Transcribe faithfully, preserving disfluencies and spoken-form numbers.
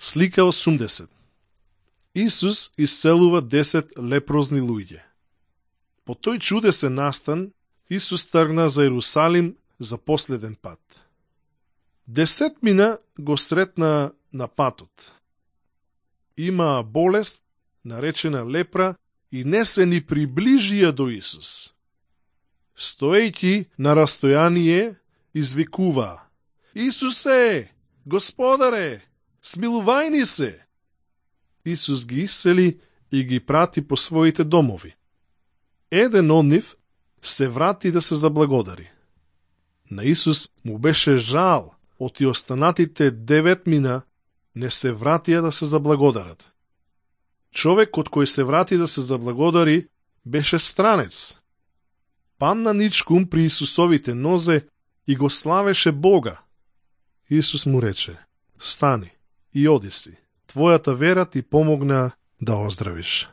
Слика осумдесет. Исус исцелува десет лепрозни луѓе. По тој чудесен настан, Исус тргна за Ерусалим за последен пат. Десетмина го сретна на патот. Има болест, наречена лепра, и не се ни приближија до Исус. Стоејќи на растојание, извикува: Исусе, Господаре, смилувај се! Исус ги исцели и ги прати по своите домови. Еден од нив се врати да се заблагодари. На Исус му беше жал од и останатите деветмина не се вратија да се заблагодарат. Човекот кој се врати да се заблагодари беше странец. Падна ничкум при Исусовите нозе и го славеше Бога. Исус му рече: стани и оди си. Твојата вера ти помогна да оздравиш.